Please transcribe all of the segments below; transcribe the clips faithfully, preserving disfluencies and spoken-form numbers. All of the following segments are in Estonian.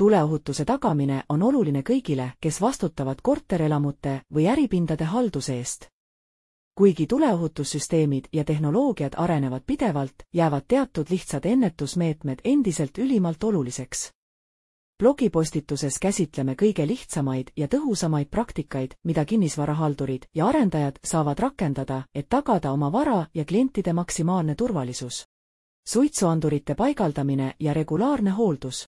Tuleohutuse tagamine on oluline kõigile, kes vastutavad korterelamute või äripindade halduse eest. Kuigi tuleohutussüsteemid ja tehnoloogiad arenevad pidevalt, jäävad teatud lihtsad ennetusmeetmed endiselt ülimalt oluliseks. Blogipostituses käsitleme kõige lihtsamaid ja tõhusamaid praktikaid, mida kinnisvarahaldurid ja arendajad saavad rakendada, et tagada oma vara ja klientide maksimaalne turvalisus. Suitsuandurite paigaldamine ja regulaarne hooldus.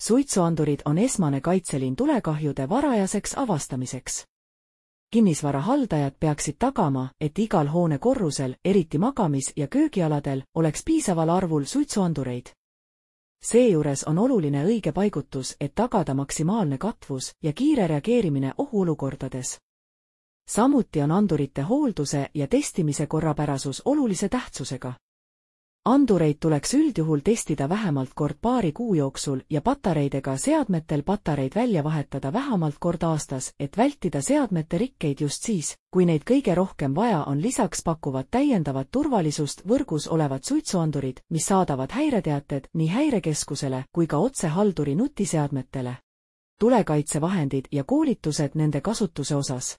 Suitsuandurid on esmane kaitseliin tulekahjude varajaseks avastamiseks. Kinnisvarahaldajad peaksid tagama, et igal hoone korrusel, eriti magamis- ja köögialadel, oleks piisaval arvul suitsuandureid. Seejuures on oluline õige paigutus, et tagada maksimaalne katvus ja kiire reageerimine ohuolukordades. Samuti on andurite hoolduse ja testimise korrapärasus olulise tähtsusega. Andureid tuleks üldjuhul testida vähemalt kord paari kuu jooksul ja patareidega seadmetel patareid välja vahetada vähemalt kord aastas, et vältida seadmete rikkeid just siis, kui neid kõige rohkem vaja on. Lisaks pakuvad täiendavat turvalisust võrgus olevad suitsuandurid, mis saadavad häireteated nii häirekeskusele kui ka otse halduri nutiseadmetele. Tulekaitsevahendid ja koolitused nende kasutuse osas.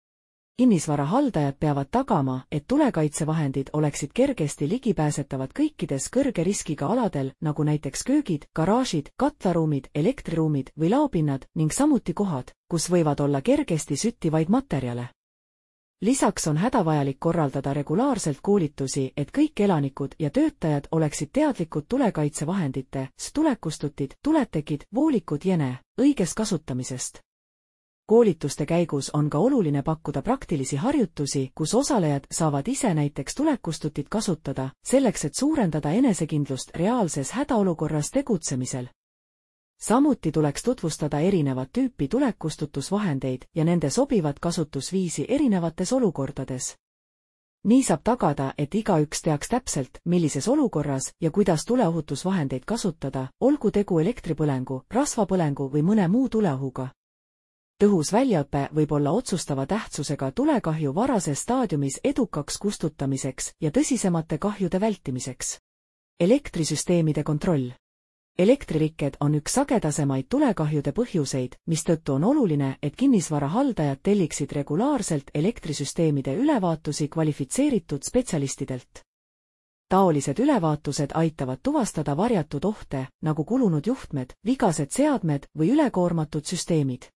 Kinnisvarahaldajad peavad tagama, et tulekaitsevahendid oleksid kergesti ligipääsetavad kõikides kõrge riskiga aladel, nagu näiteks köögid, garaažid, katlaruumid, elektriruumid või laopinnad ning samuti kohad, kus võivad olla kergesti süttivaid materjale. Lisaks on hädavajalik korraldada regulaarselt koolitusi, et kõik elanikud ja töötajad oleksid teadlikud tulekaitsevahendite, tulekustutid, tuletekid, voolikud jne, õigest kasutamisest. Koolituste käigus on ka oluline pakkuda praktilisi harjutusi, kus osalejad saavad ise näiteks tulekustutit kasutada, selleks et suurendada enesekindlust reaalses hädaolukorras tegutsemisel. Samuti tuleks tutvustada erinevat tüüpi tulekustutusvahendeid ja nende sobivat kasutusviisi erinevates olukordades. Nii saab tagada, et igaüks teaks täpselt, millises olukorras ja kuidas tuleohutusvahendeid kasutada, olgu tegu elektripõlengu, rasvapõlengu või mõne muu tuleohuga. Tõhus väljaõpe võib olla otsustava tähtsusega tulekahju varases staadiumis edukaks kustutamiseks ja tõsisemate kahjude vältimiseks. Elektrisüsteemide kontroll. Elektririked on üks sagedasemaid tulekahjude põhjuseid, mistõttu on oluline, et kinnisvarahaldajad telliksid regulaarselt elektrisüsteemide ülevaatusi kvalifitseeritud spetsialistidelt. Taolised ülevaatused aitavad tuvastada varjatud ohte, nagu kulunud juhtmed, vigased seadmed või ülekoormatud süsteemid.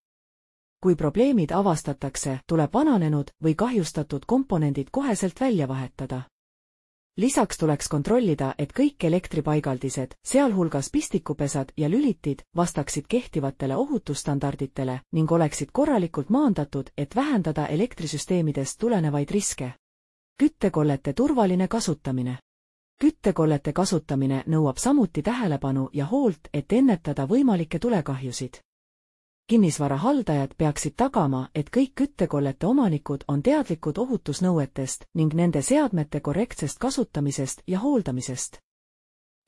Kui probleemid avastatakse, tuleb vananenud või kahjustatud komponendid koheselt välja vahetada. Lisaks tuleks kontrollida, et kõik elektripaigaldised, sealhulgas pistikupesad ja lülitid, vastaksid kehtivatele ohutusstandarditele ning oleksid korralikult maandatud, et vähendada elektrisüsteemidest tulenevaid riske. Küttekollete turvaline kasutamine. Küttekollete kasutamine nõuab samuti tähelepanu ja hoolt, et ennetada võimalikke tulekahjusid. Kinnisvarahaldajad peaksid tagama, et kõik küttekollete omanikud on teadlikud ohutusnõuetest ning nende seadmete korrektsest kasutamisest ja hooldamisest.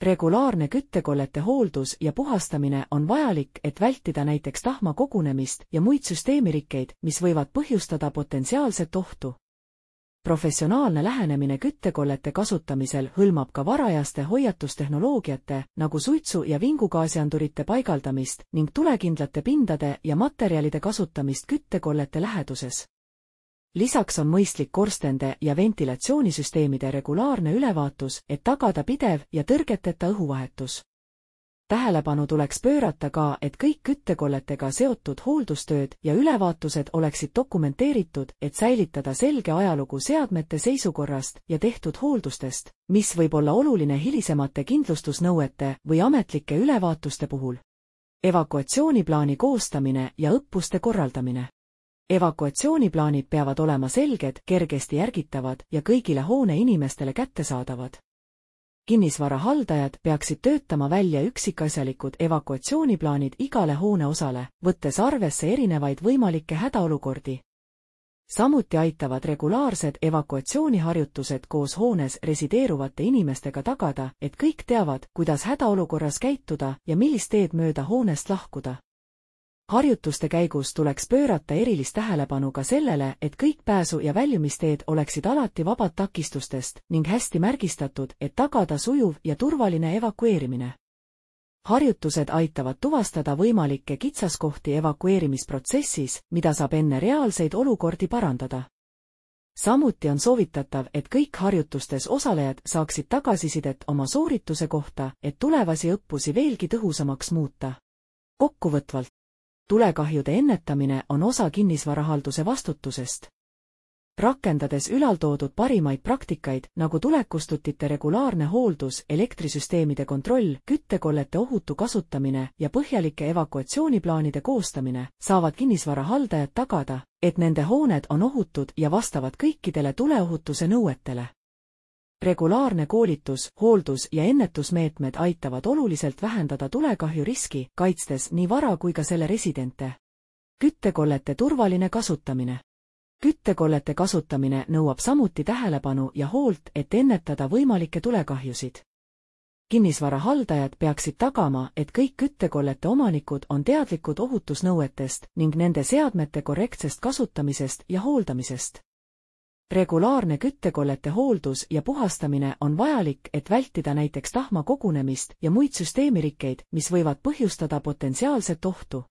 Regulaarne küttekollete hooldus ja puhastamine on vajalik, et vältida näiteks tahma kogunemist ja muid süsteemirikkeid, mis võivad põhjustada potentsiaalset ohtu. Professionaalne lähenemine küttekollete kasutamisel hõlmab ka varajaste hoiatustehnoloogiate, nagu suitsu- ja vingugaasiandurite paigaldamist ning tulekindlate pindade ja materjalide kasutamist küttekollete läheduses. Lisaks on mõistlik korstende ja ventilatsioonisüsteemide regulaarne ülevaatus, et tagada pidev ja tõrgeteta õhuvahetus. Tähelepanu tuleks pöörata ka, et kõik küttekolletega seotud hooldustööd ja ülevaatused oleksid dokumenteeritud, et säilitada selge ajalugu seadmete seisukorrast ja tehtud hooldustest, mis võib olla oluline hilisemate kindlustusnõuete või ametlike ülevaatuste puhul. Evakuatsiooniplaani koostamine ja õppuste korraldamine. Evakuatsiooniplaanid peavad olema selged, kergesti järgitavad ja kõigile hoone inimestele kättesaadavad. Kinnisvarahaldajad peaksid töötama välja üksikasjalikud evakuatsiooniplaanid igale hoone osale, võttes arvesse erinevaid võimalikke hädaolukordi. Samuti aitavad regulaarsed evakuatsiooniharjutused koos hoones resideeruvate inimestega tagada, et kõik teavad, kuidas hädaolukorras käituda ja millist teed mööda hoonest lahkuda. Harjutuste käigus tuleks pöörata erilist tähelepanu ka sellele, et kõik pääsu- ja väljumisteed oleksid alati vabad takistustest ning hästi märgistatud, et tagada sujuv ja turvaline evakueerimine. harjutused aitavad tuvastada võimalikke kitsaskohti evakueerimisprotsessis, mida saab enne reaalseid olukordi parandada. Samuti on soovitatav, et kõik harjutustes osalejad saaksid tagasisidet oma soorituse kohta, et tulevasi õppusi veelgi tõhusamaks muuta. Kokkuvõtvalt, tulekahjude ennetamine on osa kinnisvarahalduse vastutusest. Rakendades ülaltoodud parimaid praktikaid, nagu tulekustutite regulaarne hooldus, elektrisüsteemide kontroll, küttekollete ohutu kasutamine ja põhjalike evakuatsiooniplaanide koostamine, saavad kinnisvarahaldajad tagada, et nende hooned on ohutud ja vastavad kõikidele tuleohutuse nõuetele. Regulaarne koolitus, hooldus ja ennetusmeetmed aitavad oluliselt vähendada tulekahju riski, kaitstes nii vara kui ka selle residente. Küttekollete turvaline kasutamine. Küttekollete kasutamine nõuab samuti tähelepanu ja hoolt, et ennetada võimalikke tulekahjusid. Kinnisvarahaldajad peaksid tagama, et kõik küttekollete omanikud on teadlikud ohutusnõuetest ning nende seadmete korrektsest kasutamisest ja hooldamisest. Regulaarne küttekollete hooldus ja puhastamine on vajalik, et vältida näiteks tahma kogunemist ja muid süsteemirikkeid, mis võivad põhjustada potentsiaalset ohtu.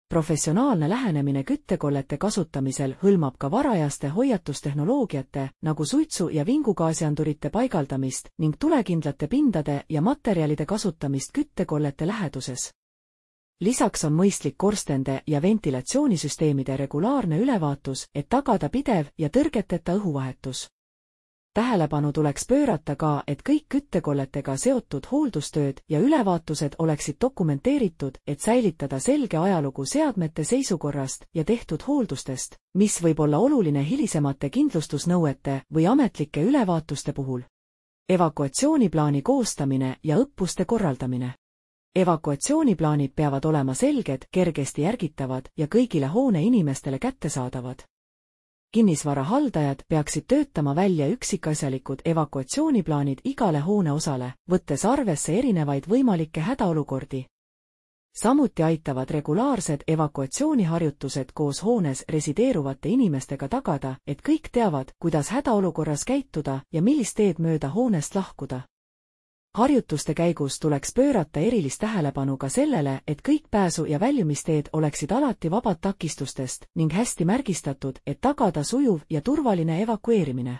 Professionaalne lähenemine küttekollete kasutamisel hõlmab ka varajaste hoiatustehnoloogiate, nagu suitsu- ja vingugaasiandurite paigaldamist ning tulekindlate pindade ja materjalide kasutamist küttekollete läheduses. Lisaks on mõistlik korstende ja ventilatsioonisüsteemide regulaarne ülevaatus, et tagada pidev ja tõrgeteta õhuvahetus. Tähelepanu tuleks pöörata ka, et kõik küttekolletega seotud hooldustööd ja ülevaatused oleksid dokumenteeritud, et säilitada selge ajalugu seadmete seisukorrast ja tehtud hooldustest, mis võib olla oluline hilisemate kindlustusnõuete või ametlike ülevaatuste puhul. Evakuatsiooniplaani koostamine ja õppuste korraldamine. Evakuatsiooniplaanid peavad olema selged, kergesti järgitavad ja kõigile hoone inimestele kättesaadavad. Kinnisvarahaldajad peaksid töötama välja üksikasjalikud evakuatsiooniplaanid igale hoone osale, võttes arvesse erinevaid võimalikke hädaolukordi. Samuti aitavad regulaarsed evakuatsiooniharjutused koos hoones resideeruvate inimestega tagada, et kõik teavad, kuidas hädaolukorras käituda ja millist teed mööda hoonest lahkuda. Harjutuste käigus tuleks pöörata erilist tähelepanu ka sellele, et kõik pääsu- ja väljumisteed oleksid alati vabad takistustest ning hästi märgistatud, et tagada sujuv ja turvaline evakueerimine.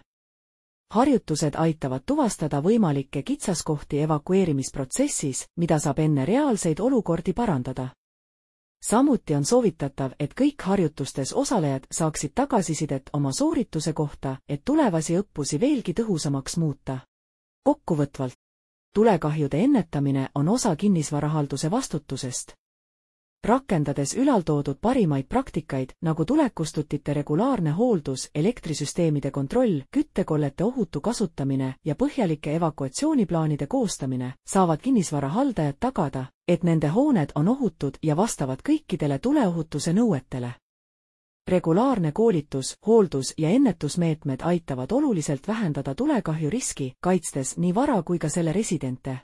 Harjutused aitavad tuvastada võimalikke kitsaskohti evakueerimisprotsessis, mida saab enne reaalseid olukordi parandada. Samuti on soovitatav, et kõik harjutustes osalejad saaksid tagasisidet oma soorituse kohta, et tulevasi õppusi veelgi tõhusamaks muuta. Kokkuvõtvalt, tulekahjude ennetamine on osa kinnisvarahalduse vastutusest. Rakendades ülaltoodud parimaid praktikaid, nagu tulekustutite regulaarne hooldus, elektrisüsteemide kontroll, küttekollete ohutu kasutamine ja põhjalike evakuatsiooniplaanide koostamine, saavad kinnisvarahaldajad tagada, et nende hooned on ohutud ja vastavad kõikidele tuleohutuse nõuetele. Regulaarne koolitus, hooldus ja ennetusmeetmed aitavad oluliselt vähendada tulekahju riski, kaitstes nii vara kui ka selle residente.